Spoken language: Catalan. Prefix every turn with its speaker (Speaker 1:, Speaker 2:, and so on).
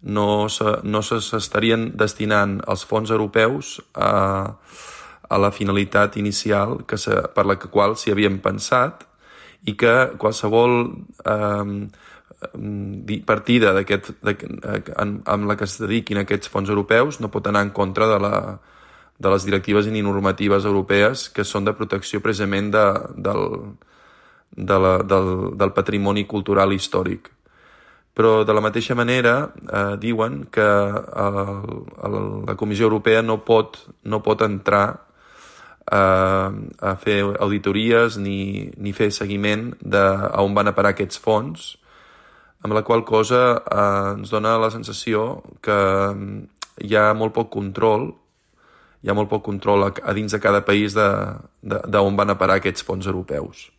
Speaker 1: no s'estarien destinant els fons europeus a la finalitat inicial per la qual s'hi havien pensat, i que qualsevol partida amb la que es dediquin aquests fons europeus no pot anar en contra de les directives i normatives europees que són de protecció precisament del patrimoni cultural i històric. Però de la mateixa manera diuen que la Comissió Europea no pot entrar a fer auditories ni fer seguiment a on van a parar aquests fons, amb la qual cosa ens dona la sensació que hi ha molt poc control a dins de cada país d'on van a parar aquests fons europeus.